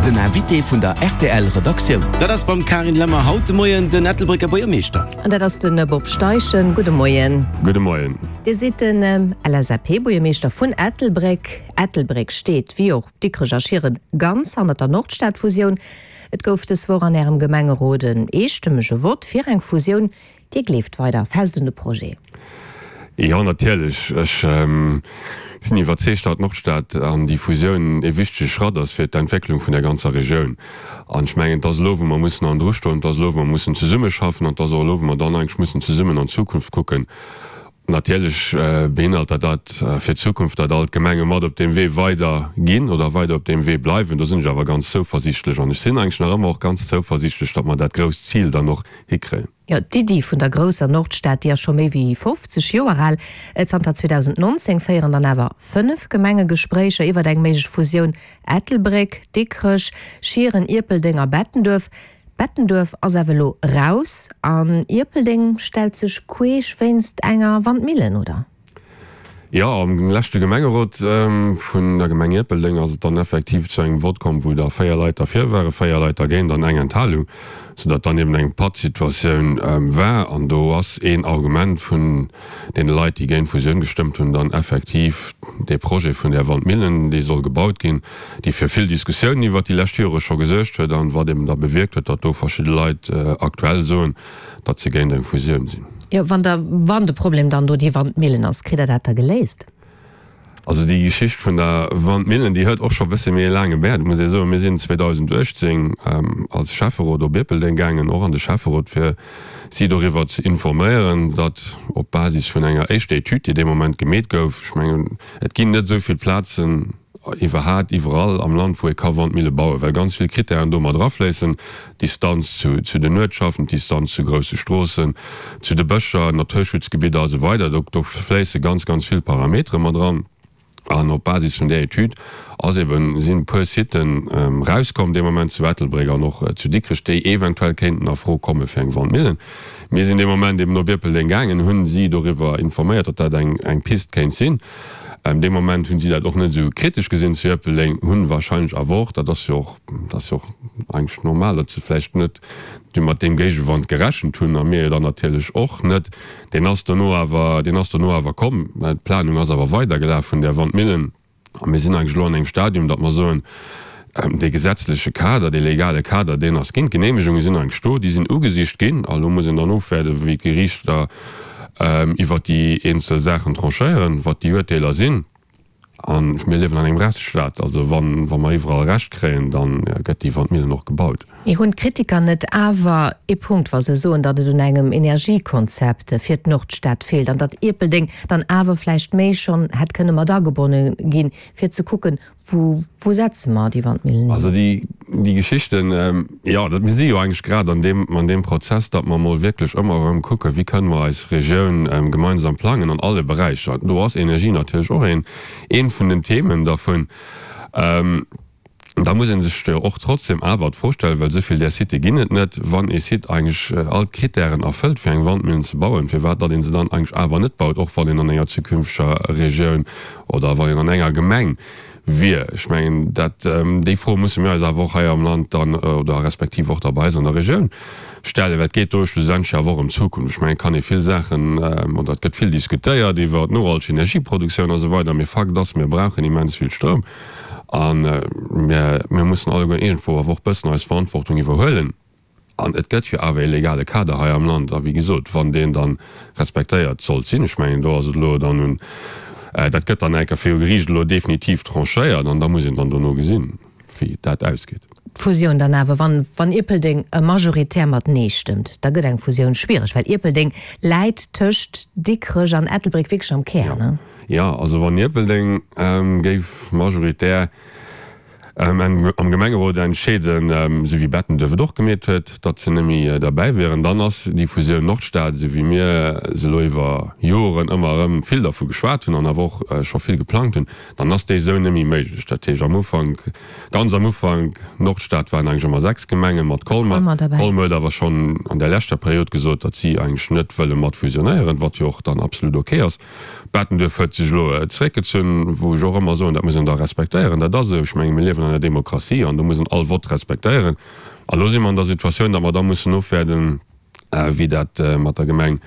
Den Invité vun der rtl Redaktioun. Dat ass beim Carine Lemmer haut de Moien den Ettelbrécker Buergermeeschter. An dat ass de Bob Steichen. Gudde Moien. Gudde Moien. Dir sidd den LSAP-Buergermeeschter vun Ettelbréck. Ettelbréck steet, wéi och Dikrech a Schieren, ganz hannert der Nordstad-Fusioun. Et gouf dës Woch an Ärem Gemengerot en eestëmmege Vott fir eng Fusioun. Dir gleeft weider fest un de Projet? Jo, natierlech. Ech sinn iwwerzeegt, datt d'Nordstad an déi Fusioun ee wichtege Schratt ass fir d'Entwécklung vun der ganzer Regioun. An ech mengen, et ass elo, wou mer mussen an dru stoen, et ass elo, wou mer mussen zesummeschaffen an et ass och elo, wou mer dann eigentlech mussen zesummen an d'Zukunft kucken. Natierlech beinhalt dat dat fir d'Zukunft, datt all d'Gemenge mat op deem Wee weider ginn oder weider op deem Wee bleiwen. Do sinn ech awer ganz zouversiichtlech an ech sinn eigentlech nach ëmmer och ganz zouversiichtlech, datt mer dat grousst Zil dann och hikréien. Jo, d'Iddi vun der grousser Nordstad, déi ass scho méi wéi 50 Joer al. Zanter 2019 féieren dann awer 5 Gemenge Gespréicher iwwert eng méiglech Fusioun, Ettelbréck, Dikrech, Schieren, Ierpeldeng a Bettenduerf. Bettenduerf ass awer elo raus an Ierpeldeng stellt sech queesch wéinst enger Wandmillen, oder? Jo, am leschte Gemengerot vun der Gemeng Ierpeldeng ass et dann effektiv zu engem Vott komm, wou da 4 Leit derfir waren, 4 Leit dergéint an eng Enthalung, soudatt dann eben eng Pattsituatioun war. An do ass een Argument vun deene Leit, déi géint d'Fusioun gestëmmt hunn, dann effektiv dee Projet vun där Wandmillen, dee soll gebaut ginn, déi fir vill Diskussiounen iwwert déi lescht Jore scho gesuergt huet an wat eben da bewierkt huet, datt do verschidde Leit aktuell soen, datt se géint eng Fusioun sinn. Jo, wann der, wann de Problem dann do déi Wandmillen ass, kritt Der dat da geléist? Also déi Geschicht vun der Wandmillen, déi huet och scho e bësse méi e laange Wäert, muss ee soen. Mir sinn 2018 als Schäfferot op Ierpeldeng gaangen, och an de Schäfferot, fir si doriwwer ze informéieren, datt op Basis vun enger éischter Etüd, déi dee Moment gemeet gouf, ech mengen, et ginn net esou vill Plazen, iwwerhaat iwwerall am Land wou ee ka Wandmille bauen, well ganz vill Kritären do mat erafléissen, d'Distanz zu zu den Uertschaften, d'Distanz zu grousse Stroossen, zu de Bëscher, Naturschutzgebidder a sou weider. Do do fléisse ganz ganz vill Parametere mat eran an op Basis vun där Etüd ass eben, sinn e puer Siten erauskomm dee Moment zu Ettelbréck an och zu Dikrech, déi eventuell kéinten a Fro komme fir eng Wandmillen. Mir sinn dee Moment eben op Ierpeldeng gaangen, hunn si doriwwer informéiert, datt dat eng eng Pist kéint sinn. Dee Moment hunn si dat och net esou kritesch gesinn zu Ierpeldeng, hunn wahrscheinlech awer och, dat ass jo och, dat ass jo och eigentlech normal, datt se vläicht net du mat deem Géigewand gerechent hunn, a mir jo dann natierlech och net. Deen ass dono awer, deen ass dono awer komm. D'Planung ass awer weidergelaf vun där Wandmillen. A mir sinn eigentlech elo an engem Stadium, datt mer soen, dee gesetzleche Kader, dee legale Kader, deen ass ginn, d'Geneemegunge sinn eigentlech do, déi sinn ugesicht ginn. A elo muss een dann ofwaarden, wéi d'Geriichter iwwert déi eenzel Saachen tranchéieren, wat déi Uerteeler sinn. A mir liewen an engem Rechtsstaat, also wa mer iwwerall Recht kréien, da gëtt déi Wandmillen och gebaut. Mee hunn d'Kritiker net awer ee Punkt, wa se soen, datt et un engem Energiekonzept fir d'Nordstad feelt an datt Ierpeldeng dann awer vläicht méi schonn hätt kënne mat agebonne ginn, fir ze kucken, wou wou setze mer déi Wandmillen hin? Also déi déi Geschichten, jo, dat mir si jo eigentlech grad an deem an deem Prozess, datt mer emol wierklech ëmmer erëm kucken, wéi kënne mer eis Regioun gemeinsam plangen an alle Beräicher. Do ass Energie natierlech och een eent vun den Themen dervun. Da muss ee sech jo och trotzdem awer d'Fro stellen, well esou vill där Sitë ginn et net, wann ee Site eigentlech all d'Kritären erfëllt fir eng Wandmillen ze bauen, firwat datt ee se dann eigentlech awer net baut, och wann een an enger zukünfteger Regioun oder wann een an enger Gemeng wier. Ech mengen, dat, déi Fro musse mir eis awer och hei am Land dann oder respektiv och da bei eis an der Regioun stellen, well et geet do schlussendlech awer och ëm d'Zukunft. Ech mengen, et kann ee vill Saachen oder et gëtt vill diskutéiert iwwer nohalteg Energieproduktioun a sou weider, mee Fakt ass, mir brauchen immens vill Stroum. A mir mussen alleguer iergendwou awer och bëssen eis Verantwortung iwwerhuelen. An et gëtt jo awer ee legale Kader hei am Land. A wéi gesot, wann deen da respektéiert sollt sinn, ech mengen, do ass et elo dann un, dat gëtt dann enker viru Geriicht elo definitiv tranchéiert an da muss een dann dono gesinn, wéi dat ausgeet. D'Fusioun dann awer, wann, wann Ierpeldeng majoritär mat Nee stëmmt, da gëtt eng Fusioun schwiereg, well Ierpeldeng läit tëscht Dikrech an Ettelbréck wierklech am Kär, ne? Jo, also wann Ierpeldeng géif majoritär am Gemengerot entscheeden, esou wéi Bettenduerf et och gemeet huet, datt se net méi derbäi wieren, dann ass déi Fusioun Nordstad, esou wéi mir se elo iwwer Joren ëmmer erëm vill dervu geschwat hunn an awer och scho vill geplangt hunn, dann ass déi esou net méi méiglech. Dat heescht am Ufank, ganz am Ufank, Nordstad waren eigentlech ëmmer 6 Gemengen mat Colmer. Colmer huet awer schonn an där leschter Period gesot, datt si eigentlech net wëlle mat fusionéieren, wat jo och dann absolut ok ass. Bettenduerf huet sech elo zeréckgezunn, wou ech och ëmmer soen, dat muss een da respektéieren, dat ass esou. Ech menge mir liewen an. an der Demokratie an do muss een all Vott respektéieren. A lo si mer an der Situatioun, datt mer da mussen ofwäerden, wéi dat mat der Gemeng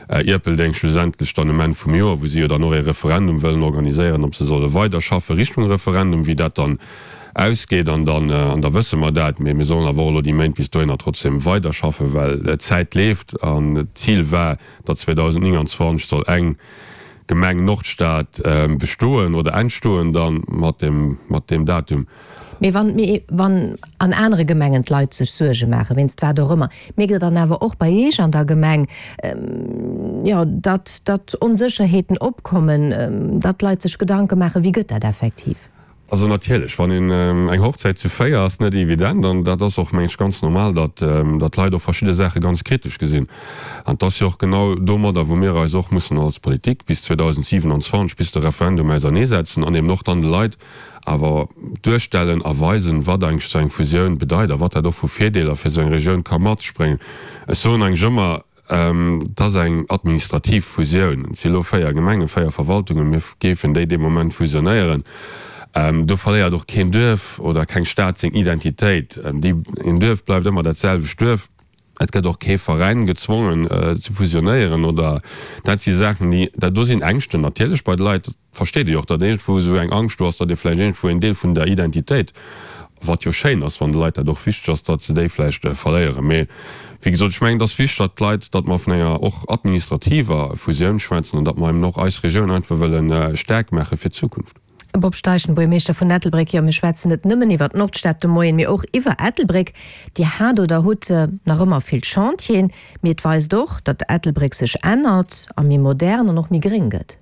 Ierpeldeng schlussendlech dann um Enn vum Joer, wou si jo dann och ee Referendum wëllen organiséieren, ob se solle weiderschaffe Richtung Referendum, wéi dat dann ausgeet. An dann, an da wësse mer dat. Mee mir sollen awer och elo déi Méint bis dohinner trotzdem weiderschaffen, well d'Zäit leeft an d'Zil war, datt 2029 soll eng Gemeng Nordstad bestoen oder entstoen dann mat deem, mat deem Datum. Mee wann, mee wann an anere Gemengen d'Leit sech Suerge maachen, wéinst wat och ëmmer, mierkt Der dann awer och bei Iech an der Gemeng, jo, datt, datt Onsécherheeten opkommen, datt d'Leit sech Gedanke maachen, wéi gëtt dat effektiv? Also natierlech, wann een eng Hochzäit zu 4 ass net evident an dat ass och, meng ech, ganz normal, datt, datt d'Leit och verschidde Saache ganz kritesch gesinn. An et ass jo och genau domadder, wou mir eis och mussen als Politik bis 2027, bis de Referendum, auserneesetzen an eben och dann de Leit awer duerstellen a weisen, wat eigentlech esou eng Fusioun bedeit a wat dat och vu Virdeeler fir esou eng Regioun ka mat sech bréngen. Ech soen eigentlech ëmmer, Et ass eng administrativ Fusioun. Et si elo 4 Gemengen, 4 Verwaltungen. Mir géifen déi dee Moment fusionéieren. Do verléiert och keen Duerf oder keng Stad seng Identitéit. Een Duerf bleift ëmmer dat selwecht Duerf. Et gëtt och kee Veräin gezwongen ze fusionéieren oder dat si Saachen, déi, dat do sinn Ängschten natierlech bei de Leit, dat versteet ee jo och, datt iergendwou esou eng Angscht do ass, datt ee vläicht iergendwou en Deel vun der Identitéit, wat jo schéin ass, wann de Leit dat och wichteg ass, datt se déi vläicht verléieren. Mee wéi gesot, ech mengen, et ass wichteg, datt d'Leit, datt mer vun enger och administrativer Fusioun schwätzen an datt mer eben och eis Regioun einfach wëlle staark maache fir d'Zukunft. Bob Steichen, Buergermeeschter vun Ettelbréck, Jo, mir schwätzen net nëmmen iwwer d'Nordstad de Moien, mee och iwwer Ettelbréck. Dir hat oder hutt nach ëmmer vill Chantieren, mee et weist och, datt Ettelbréck sech ännert a méi modern an och méi gréng gëtt.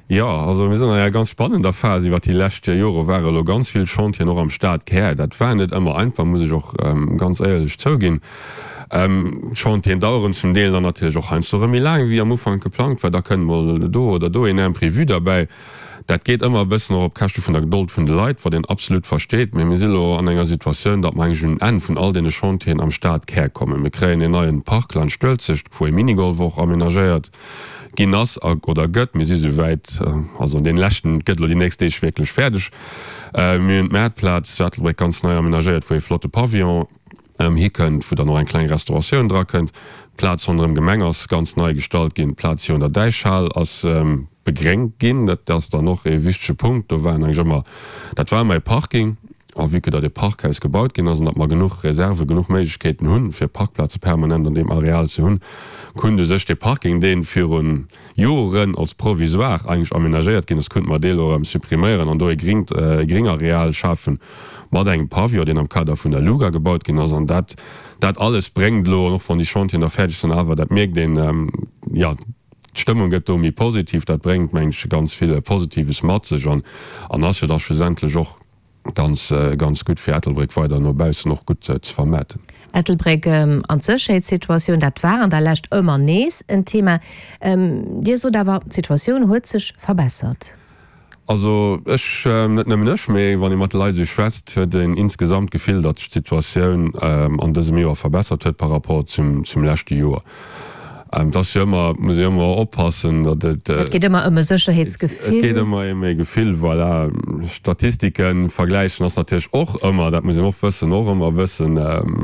Jo, also mir sinn an enger ganz spannender Phas. Iwwer déi lescht Jore ware elo ganz vill Chantieren och am Stadkär. Dat war net ëmmer einfach, muss ech och ganz éierlech zouginn. D'Chantieren daueren zum Deel dann natierlech och heiansdo erëm méi laang, wéi am Ufank geplangt war. Da kënnt mol do oder do een Imprévu derbäi. Dat geet ëmmer e bëssen och op Käschte vun der Gedold vun de Leit, wat een absolut versteet. Mee mir si elo an enger Situatioun, datt mer eigentlech un en Enn vun all deene Chantieren am Stadkär kommen. Mir kréien een neien Park laanscht d'Uelzecht, wou ee Minigolf och amenagéiert ginn ass a oder gëtt. Mir si souwäit, also dee leschten gëtt elo déi nächst Deeg wierklech fäerdeg. Mir hunn d'Maartplaz zu Ettelbréck ganz nei amenagéiert, wou ee flotte Pavillon hikënnt, wou dann och eng kleng Restauratioun drakënnt. D'Plaz ronderëm Gemeng ass ganz nei gestallt ginn. D'Plaz virun der Däichhal ass begréngt ginn. Dat ass dann och ee wichtege Punkt. Do waren eigentlech ëmmer, dat war ëmmer e Parking. A vue que datt e Parkhaus gebaut ginn ass an datt mer genuch Reserven, genuch Méiglechkeeten hunn, fir Parkplaze permanent an deem Areal ze hunn, kunnt u sech dee Parking, dee viru Joren als provisoire eigentlech amenagéiert ginn ass, kunnte mer dee elo erëm suppriméieren an do e gringt, e Gringareal schafen mat engem Pavillon, deen am Kader vun der LUGA gebaut ginn ass. An dat, dat alles bréngt elo, an och wann déi Chantieren da fäerdeg sinn, awer dat mierkt een, jo, D'Stëmmung gëtt do méi positiv, dat bréngt, mengen ech, ganz vill Positives mat sech an an ass jo da schlussendlech och ganz, ganz gutt fir Ettelbréck weider no baussen och gutt ze vermaarten. Ettelbréck an d'Sécherheetssituatioun, dat war an der Lescht ëmmer nees en Thema. Dir sot awer, d'Situatioun huet sech verbessert. Also ech, net nëmmen ech, mee wann ee mat de Leit esou schwätzt, huet een insgesamt d'Gefill, datt sech d'Situatioun an dësem Joer verbessert huet par rapport zum leschte Joer. Et ass jo ëmmer, muss ee ëmmer oppassen, datt et. Et geet ëmmer ëm e Sécherheetsgefill. Et geet ëmmer ëm e Gefill, voilà. Statistike vergläichen ass natierlech och ëmmer, dat muss een och wëssen, och ëmmer e bëssen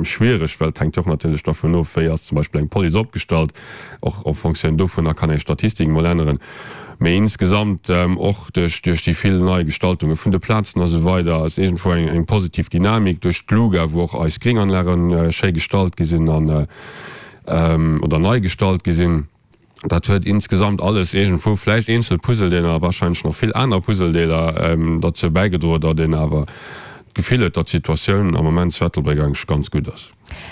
schwiereg, well et hänkt jo och natierlech dervun of, wéi ass zum Beispill eng Police opgestallt. Och en Fonctioun dovunner kann ee Statistik mol änneren. Mee insgesamt, och duerch déi vill nei Gestaltunge vun de Plazen a sou weider, ass iergendwou eng positiv Dynamik duerch d'LUGA, wou och eis Gringanlage schéi gestallt gi sinn an, oder nei gestallt gi sinn. Dat huet insgesamt alles iergendwou, vläicht eenzel Puzzledeeler a wahrscheinlech nach vill aner Puzzledeeler, derzou bäigedroen, datt een awer d'Gefill huet, datt d'Situatioun am Moment zu Ettelbréck eigentlech ganz gutt ass.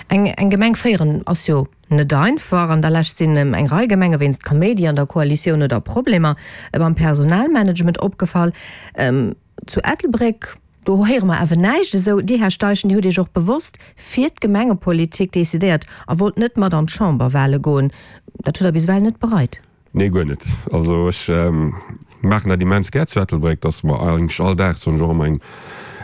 Eng Gemeng féieren ass jo Net einfach. An der Lescht sinn eng Rei Gemenge wéinst Kaméidi an der Koalitioun oder Problemer beim Personalmanagement opgefall. Zu Ettelbréck, do héiere mer awer näischt esou. Dir, Här Steichen, Dir hutt Iech och bewosst fir d'Gemengepolitik decidéiert a wollt net mat an d'Chamberwale goen. Dat hutt Der bis ewell net bereit. Nee, guer net. Also ech maachen dat immens gär zu Ettelbréck. Dat ass mer eigentlech all Dag, soen ech och ëmmer, eng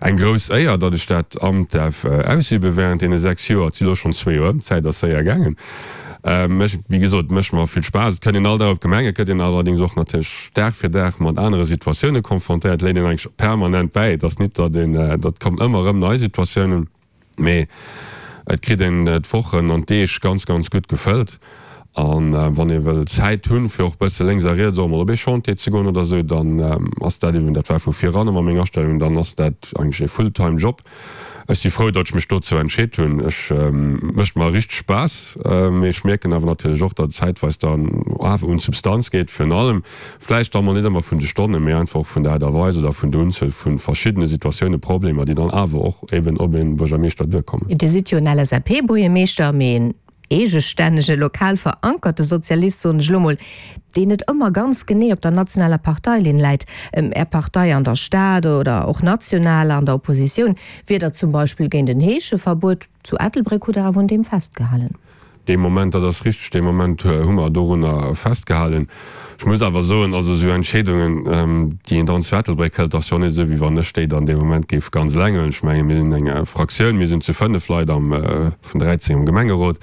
eng grouss Éier, datt ech dat Amt däerf ausübe während deene 6 Joer. Et si lo schonn zwee Joer ëm, d'Zäit ass séier gaangen. Mech, wéi gesot, mécht mer vill Spaass. Et kënnt een all Dag op d'Gemeng, et gëtt een allerdéngs och natierlech Dag fir Dag mat anere Situatioune confrontéiert, léit een eigentlech permanent bäi. Et ass nit, datt een, dat kommen ëmmer erëm nei Situatiounen, mee et kritt een d'Wochen an d'Deeg ganz, ganz gutt gefëllt. An wann ee wëll Zäit hunn, fir och bësse lénks a riets och emol op ee Chantier ze goen oder esou, dann ass dat eben, dat war vu viran ëmmer meng Astellung, dann ass dat eigentlech ee Fulltime Job. Ech si frou, datt ech mech dozou entscheet hunn. Ech mécht mer richteg Spaass, mee ech mierken awer natierlech och, datt et zäitweis dann awer un d'Substanz geet, virun allem vläicht da mol net ëmmer vun de Stonnen, mee einfach och vun der Aart a Weis oder vun der Unzuel vu verschiddene Situatiounen, Problemer, déi dann awer och eben op ee Buergermeeschter duerkommen. Dir sidd jo en LSAP-Buergermeeschter, mee en eegestännege, lokal verankerte Sozialist, soen ech elo mol, deen net ëmmer ganz genee op der nationaler Parteilinn läit. Är Partei an der Stad oder och national an der Oppositioun wier der zum Beispill géint en Heescheverbuet. Zu Ettelbréck hutt Der awer un deem festgehalen. Dee Moment, dat ass richteg, dee Moment hu mer dorunner festgehalen. Ech muss awer soen, also esou Entscheedungen, déi een dann zu Ettelbréck hëlt, ass jo och net esou, wéi wann ech déi dann dee Moment géif ganz eleng huelen. Ech menge mir sinn eng Fraktioun, mir sinn zu 5 Leit am, vun 13 am Gemengerot.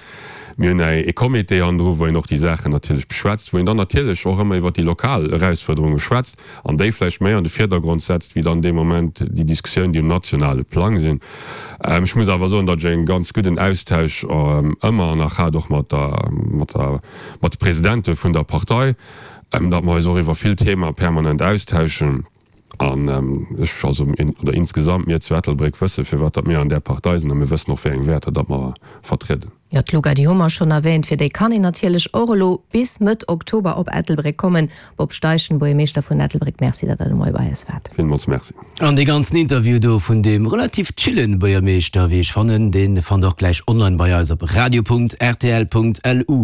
Mir hunn e Comité hannendru, wou een och déi Saachen natierlech beschwätzt, wou een dann natierlech och ëmmer iwwert déi lokal Erausfuerderunge schwätzt an déi vläicht méi an de Virdergrond setzt, wéi dann dee Moment déi Diskussioun, déi um nationale Plang sinn. Ech muss awer soen, datt ech e ganz gudden Austausch ëmmer nach hat, och mat der, mat der, mat de Presidente vun der Partei, datt mer eis och iwwer vill Thema permanent austauschen. An ech, also oder insgesamt mir zu Ettelbréck wësse firwat datt mir an där Partei sinn a mir wëssen och wéi eng Wäerter datt mer vertrieden. Jo, d'Luga, déi hu mer schonn erwähnt. Fir déi kann een natierlech och elo bis Mëtt Oktober op Ettelbréck kommen. Bob Steichen, Buergermeeschter vun Ettelbréck, Merci, datt Der de Moie bei eis waart. Villmools Merci. An dee ganzen Interview do vun deem relativ chillen Buergermeeschter, wéi ech fannen, dee fannt der och gläich online bei eis op radio.rtl.lu.